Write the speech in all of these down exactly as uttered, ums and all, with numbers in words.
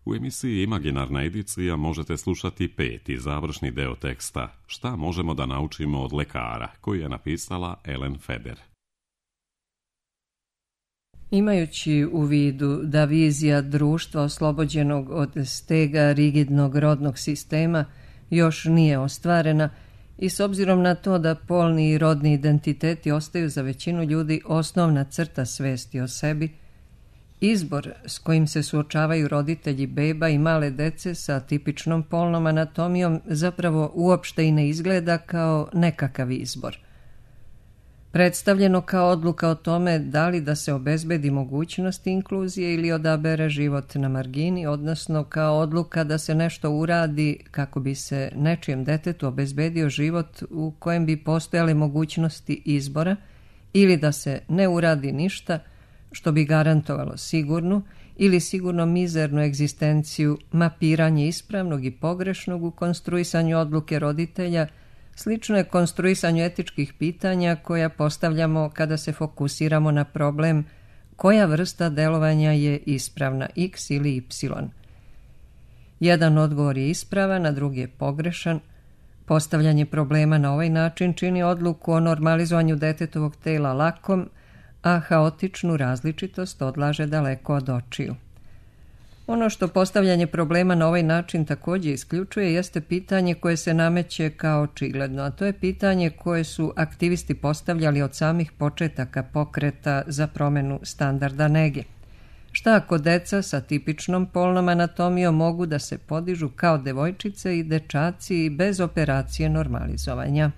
U emisiji Imaginarna edicija možete slušati peti završni deo teksta Šta možemo da naučimo od lekara, koji je napisala Ellen Feder. Imajući u vidu da vizija društva oslobođenog od stega rigidnog rodnog sistema još nije ostvarena i s obzirom na to da polni i rodni identiteti ostaju za većinu ljudi osnovna crta svesti o sebi, izbor s kojim se suočavaju roditelji beba i male dece sa tipičnom polnom anatomijom zapravo uopšte i ne izgleda kao nekakav izbor. Predstavljeno kao odluka o tome da li da se obezbedi mogućnost inkluzije ili odabere život na margini, odnosno kao odluka da se nešto uradi kako bi se nečijem detetu obezbedio život u kojem bi postojale mogućnosti izbora ili da se ne uradi ništa što bi garantovalo sigurnu ili sigurno mizernu egzistenciju, mapiranje ispravnog i pogrešnog u konstruisanju odluke roditelja. Slično je konstruisanju etičkih pitanja koja postavljamo kada se fokusiramo na problem koja vrsta delovanja je ispravna, X ili Y. Jedan odgovor je ispravan, a drugi je pogrešan. Postavljanje problema na ovaj način čini odluku o normalizovanju detetovog tela lakom, a haotičnu različitost odlaže daleko od očiju. Ono što postavljanje problema na ovaj način također isključuje jeste pitanje koje se nameće kao očigledno, a to je pitanje koje su aktivisti postavljali od samih početaka pokreta za promjenu standarda nege. Šta ako deca sa tipičnom polnom anatomijom mogu da se podižu kao devojčice i dečaci bez operacije normalizovanja?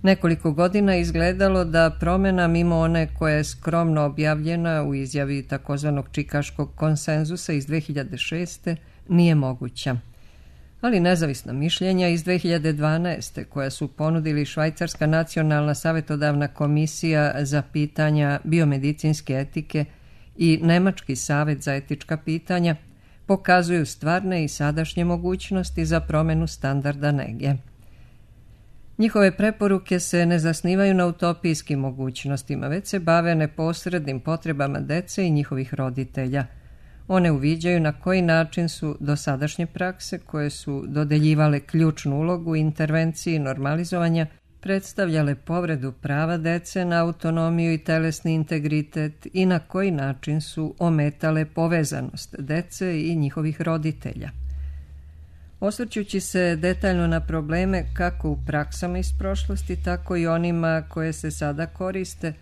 Nekoliko godina izgledalo da promjena mimo one koja je skromno objavljena u izjavi takozvanog Čikaškog konsenzusa iz dve hiljade šeste nije moguća. Ali nezavisna mišljenja iz dve hiljade dvanaeste koja su ponudili Švajcarska nacionalna savjetodavna komisija za pitanja biomedicinske etike i Nemački savjet za etička pitanja pokazuju stvarne i sadašnje mogućnosti za promjenu standarda nege. Njihove preporuke se ne zasnivaju na utopijskim mogućnostima, već se bave neposrednim potrebama dece i njihovih roditelja. One uviđaju na koji način su dosadašnje prakse, koje su dodeljivale ključnu ulogu intervenciji normalizovanja, predstavljale povredu prava dece na autonomiju i telesni integritet i na koji način su ometale povezanost dece i njihovih roditelja. Osvrćući se detaljno na probleme kako u praksama iz prošlosti, tako i onima koje se sada koriste,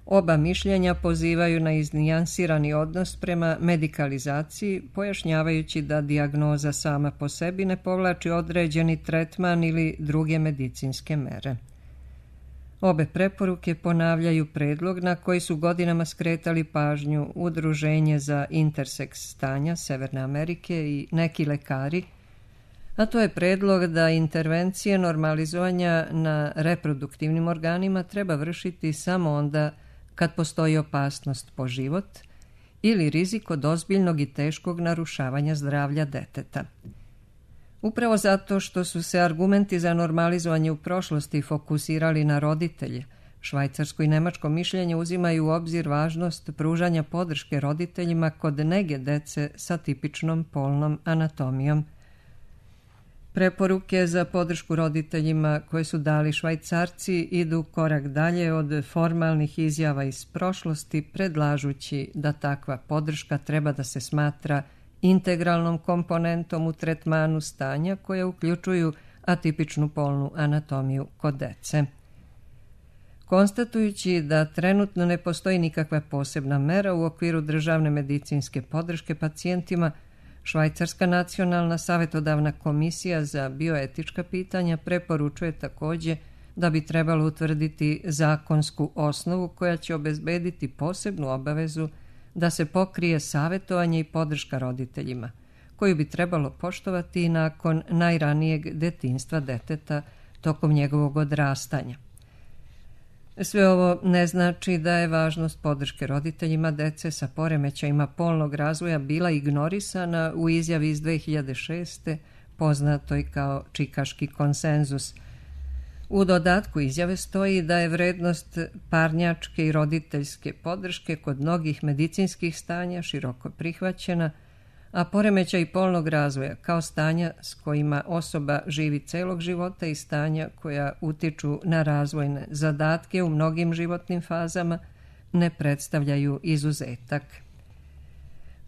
oba mišljenja pozivaju na iznijansirani odnos prema medikalizaciji, pojašnjavajući da dijagnoza sama po sebi ne povlači određeni tretman ili druge medicinske mere. Obe preporuke ponavljaju predlog na koji su godinama skretali pažnju Udruženje za interseks stanja Severne Amerike i neki lekari, a to je predlog da intervencije normalizovanja na reproduktivnim organima treba vršiti samo onda kad postoji opasnost po život ili rizik od ozbiljnog i teškog narušavanja zdravlja deteta. Upravo zato što su se argumenti za normalizovanje u prošlosti fokusirali na roditelje, švajcarsko i nemačko mišljenje uzimaju u obzir važnost pružanja podrške roditeljima kod nege dece sa tipičnom polnom anatomijom. Preporuke za podršku roditeljima koje su dali Švajcarci idu korak dalje od formalnih izjava iz prošlosti, predlažući da takva podrška treba da se smatra integralnom komponentom u tretmanu stanja koje uključuju atipičnu polnu anatomiju kod dece. Konstatujući da trenutno ne postoji nikakva posebna mera u okviru državne medicinske podrške pacijentima, Švajcarska nacionalna savjetodavna komisija za bioetička pitanja preporučuje također da bi trebalo utvrditi zakonsku osnovu koja će obezbediti posebnu obavezu da se pokrije savjetovanje i podrška roditeljima, koju bi trebalo poštovati i nakon najranijeg detinjstva deteta tokom njegovog odrastanja. Sve ovo ne znači da je važnost podrške roditeljima dece sa poremećajima polnog razvoja bila ignorisana u izjavi iz dve hiljade šeste, poznatoj kao Čikaški konsenzus. U dodatku izjave stoji da je vrednost parnjačke i roditeljske podrške kod mnogih medicinskih stanja široko prihvaćena, a poremećaj polnog razvoja kao stanja s kojima osoba živi celog života i stanja koja utiču na razvojne zadatke u mnogim životnim fazama ne predstavljaju izuzetak.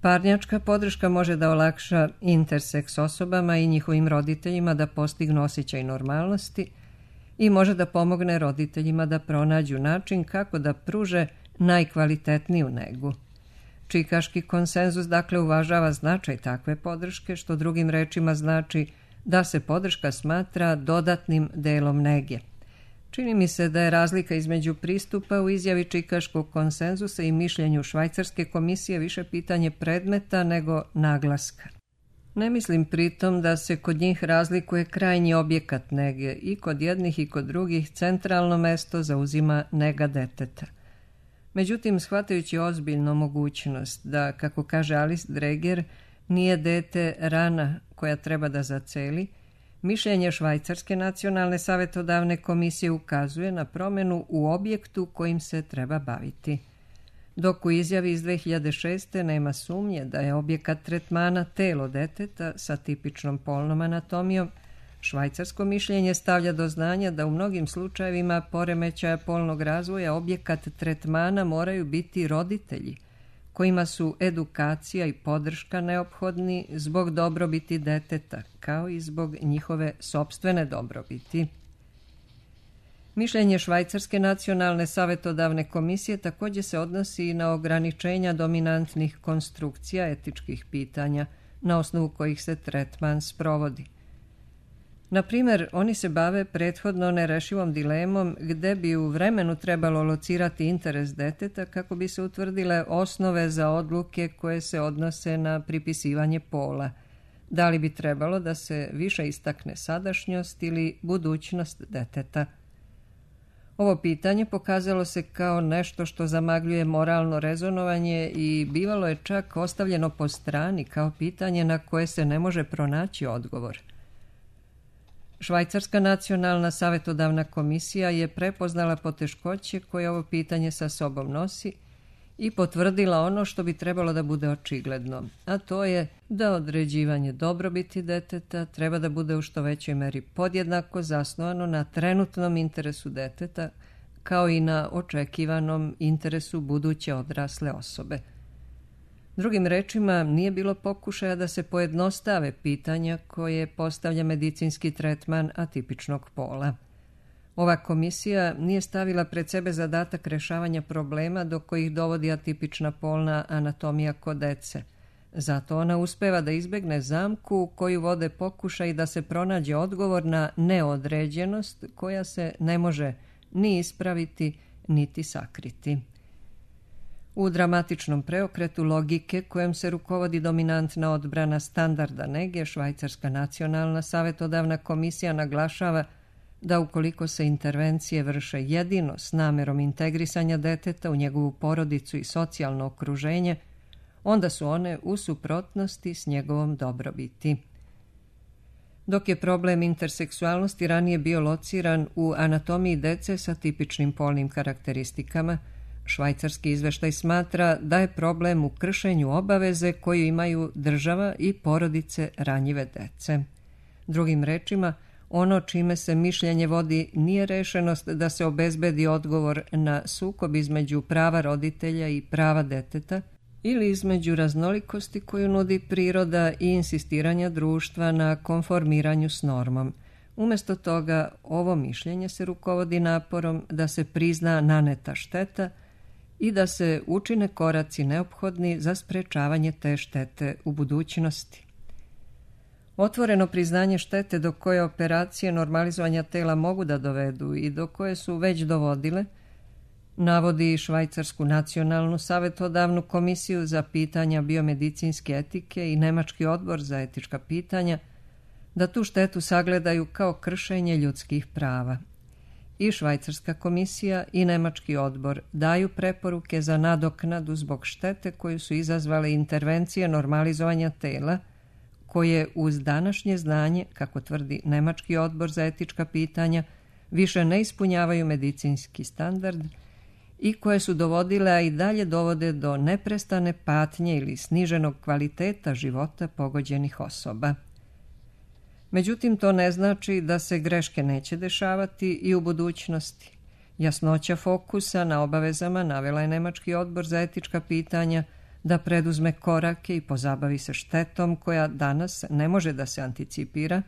Parnjačka podrška može da olakša interseks osobama i njihovim roditeljima da postignu osjećaj normalnosti i može da pomogne roditeljima da pronađu način kako da pruže najkvalitetniju negu. Čikaški konsenzus dakle uvažava značaj takve podrške, što drugim rečima znači da se podrška smatra dodatnim delom nege. Čini mi se da je razlika između pristupa u izjavi Čikaškog konsenzusa i mišljenju Švajcarske komisije više pitanje predmeta nego naglaska. Ne mislim pritom da se kod njih razlikuje krajnji objekat nege i kod jednih i kod drugih centralno mesto zauzima nega deteta. Međutim, shvatajući ozbiljno mogućnost da, kako kaže Alice Dreger, nije dete rana koja treba da zaceli, mišljenje Švajcarske nacionalne savetodavne komisije ukazuje na promjenu u objektu kojim se treba baviti. Dok u izjavi iz dve hiljade šeste. nema sumnje da je objekat tretmana telo deteta sa tipičnom polnom anatomijom, švajcarsko mišljenje stavlja do znanja da u mnogim slučajevima poremećaja polnog razvoja objekat tretmana moraju biti roditelji, kojima su edukacija i podrška neophodni zbog dobrobiti deteta, kao i zbog njihove sopstvene dobrobiti. Mišljenje Švajcarske nacionalne savetodavne komisije također se odnosi i na ograničenja dominantnih konstrukcija etičkih pitanja na osnovu kojih se tretman sprovodi. Na primjer, oni se bave prethodno nerešivom dilemom gde bi u vremenu trebalo locirati interes deteta kako bi se utvrdile osnove za odluke koje se odnose na pripisivanje pola. Da li bi trebalo da se više istakne sadašnjost ili budućnost deteta? Ovo pitanje pokazalo se kao nešto što zamagljuje moralno rezonovanje i bivalo je čak ostavljeno po strani kao pitanje na koje se ne može pronaći odgovor. Švajcarska nacionalna savetodavna komisija je prepoznala poteškoće koje ovo pitanje sa sobom nosi i potvrdila ono što bi trebalo da bude očigledno, a to je da određivanje dobrobiti deteta treba da bude u što većoj meri podjednako zasnovano na trenutnom interesu deteta, kao i na očekivanom interesu buduće odrasle osobe. Drugim rečima, nije bilo pokušaja da se pojednostave pitanja koje postavlja medicinski tretman atipičnog pola. Ova komisija nije stavila pred sebe zadatak rešavanja problema do kojih dovodi atipična polna anatomija kod dece. Zato ona uspeva da izbegne zamku u koju vode pokušaj da se pronađe odgovor na neodređenost koja se ne može ni ispraviti niti sakriti. U dramatičnom preokretu logike kojem se rukovodi dominantna odbrana standarda nege, Švajcarska nacionalna savetodavna komisija naglašava da ukoliko se intervencije vrše jedino s namerom integrisanja deteta u njegovu porodicu i socijalno okruženje, onda su one u suprotnosti s njegovom dobrobiti. Dok je problem interseksualnosti ranije bio lociran u anatomiji dece sa tipičnim polnim karakteristikama, švajcarski izveštaj smatra da je problem u kršenju obaveze koju imaju država i porodice ranjive dece. Drugim rečima, ono čime se mišljenje vodi nije rešenost da se obezbedi odgovor na sukob između prava roditelja i prava deteta ili između raznolikosti koju nudi priroda i insistiranja društva na konformiranju s normom. Umjesto toga, ovo mišljenje se rukovodi naporom da se prizna naneta šteta i da se učine koraci neophodni za sprečavanje te štete u budućnosti. Otvoreno priznanje štete do koje operacije normalizovanja tela mogu da dovedu i do koje su već dovodile, navodi Švajcarsku nacionalnu savetodavnu komisiju za pitanja biomedicinske etike i Nemački odbor za etička pitanja, da tu štetu sagledaju kao kršenje ljudskih prava. I Švajcarska komisija i Nemački odbor daju preporuke za nadoknadu zbog štete koju su izazvale intervencije normalizovanja tela, koje uz današnje znanje, kako tvrdi Nemački odbor za etička pitanja, više ne ispunjavaju medicinski standard i koje su dovodile, a i dalje dovode do neprestane patnje ili sniženog kvaliteta života pogođenih osoba. Međutim, to ne znači da se greške neće dešavati i u budućnosti. Jasnoća fokusa na obavezama navela je Nemački odbor za etička pitanja da preduzme korake i pozabavi se štetom koja danas ne može da se anticipira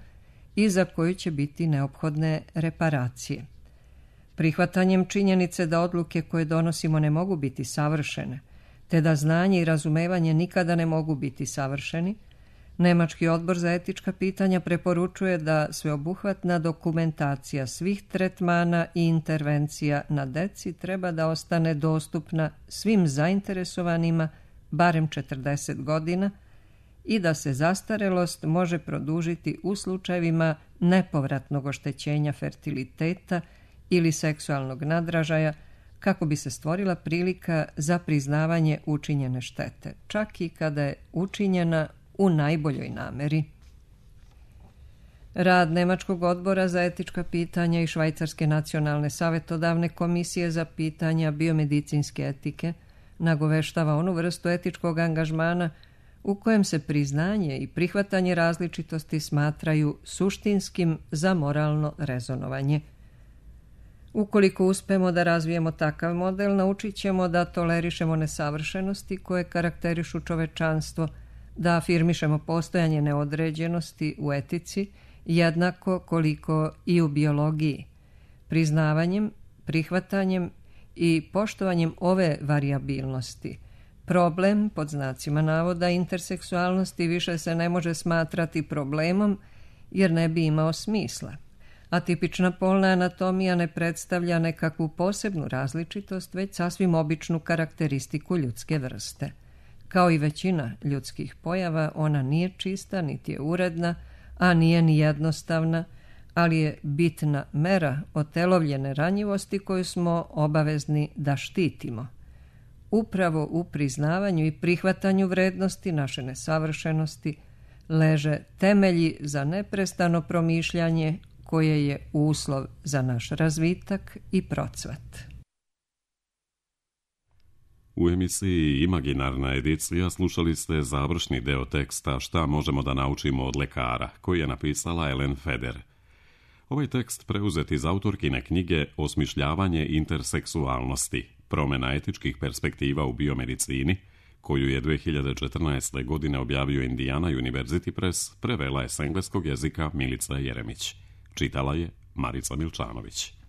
i za koju će biti neophodne reparacije. Prihvatanjem činjenice da odluke koje donosimo ne mogu biti savršene, te da znanje i razumevanje nikada ne mogu biti savršeni, Nemački odbor za etička pitanja preporučuje da sveobuhvatna dokumentacija svih tretmana i intervencija na deci treba da ostane dostupna svim zainteresovanima barem četrdeset godina i da se zastarelost može produžiti u slučajevima nepovratnog oštećenja fertiliteta ili seksualnog nadražaja kako bi se stvorila prilika za priznavanje učinjene štete, čak i kada je učinjena u najboljoj nameri. Rad Nemačkog odbora za etička pitanja i Švajcarske nacionalne savjetodavne komisije za pitanja biomedicinske etike nagoveštava onu vrstu etičkog angažmana u kojem se priznanje i prihvatanje različitosti smatraju suštinskim za moralno rezonovanje. Ukoliko uspemo da razvijemo takav model, naučit ćemo da tolerišemo nesavršenosti koje karakterišu čovečanstvo, da afirmišemo postojanje neodređenosti u etici, jednako koliko i u biologiji. Priznavanjem, prihvatanjem i poštovanjem ove varijabilnosti, problem, pod znacima navoda, interseksualnosti više se ne može smatrati problemom jer ne bi imao smisla. Atipična polna anatomija ne predstavlja nekakvu posebnu različitost, već sasvim običnu karakteristiku ljudske vrste. Kao i većina ljudskih pojava, ona nije čista, niti je uredna, a nije ni jednostavna, ali je bitna mera otelovljene ranjivosti koju smo obavezni da štitimo. Upravo u priznavanju i prihvatanju vrednosti naše nesavršenosti leže temelji za neprestano promišljanje koje je uslov za naš razvitak i procvat. U emisiji Imaginarna edicija slušali ste završni deo teksta Šta možemo da naučimo od lekara, koji je napisala Ellen Feder. Ovaj tekst preuzet iz autorkine knjige Osmišljavanje interseksualnosti, promjena etičkih perspektiva u biomedicini, koju je dve hiljade četrnaeste. godine objavio Indiana University Press, prevela je s engleskog jezika Milica Jeremić. Čitala je Marica Milčanović.